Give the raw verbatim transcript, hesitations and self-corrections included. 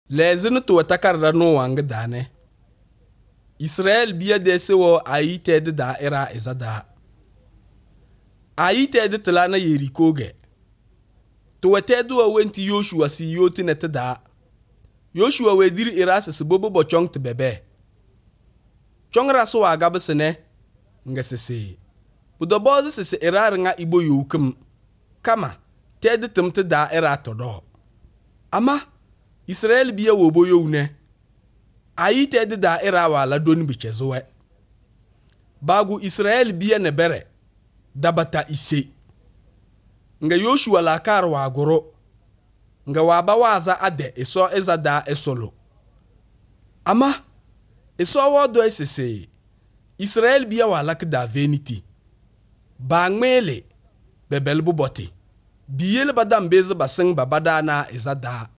Lezin to takarda no wanga dane. Israel biya dese wo ayi ted da era izada. Ayi ted tlana Yerikoge. To tedu wa wenti Yoshua si yoti net da. Yoshua wedir irasa si bobo bo chong te bebe. Chong raso wa gabasene nga sese. Budo bozi sese irar nga ibo yukum. Kama ted temte da era todo. Ama Israel biya wo boyo une. Ayi ted da era wala doni bichezowe. Bagu Israel biya nebere. Dabata ise. Nga Yoshua la kar wa goro. Nga waba waza ade iso eza da esolo. Ama iso wodo esese. Israel biya wala kda veniti. Bangmele bebel buboti. Biyele badam beze baseng babada na eza da.